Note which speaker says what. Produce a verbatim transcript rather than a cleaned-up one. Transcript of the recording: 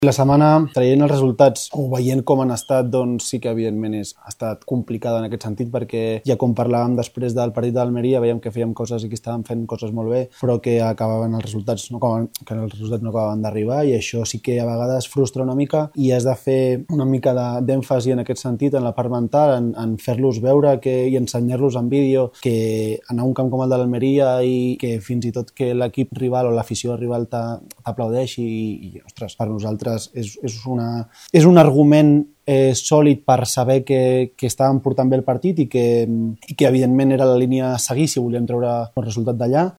Speaker 1: La setmana, traient els resultats o veient com han estat, doncs sí que evidentment és, ha estat complicada en aquest sentit, perquè ja com parlàvem després del partit d'Almeria, veiem que fèiem coses i que estàvem fent coses molt bé, però que acabaven els resultats no acabaven, que els resultats no acabaven d'arribar, i això sí que a vegades frustra una mica i has de fer una mica d'èmfasi en aquest sentit, en la part mental, en, en fer-los veure que, i ensenyar-los en vídeo que anar a un camp com el de l'Almeria i que fins i tot que l'equip rival o l'afició rival t'aplaudeixi i, i, ostres, per nosaltres És, és, una, és un argument eh, sòlid per saber que, que estàvem portant bé el partit i que, i que evidentment era la línia a seguir si volíem treure el resultat d'allà.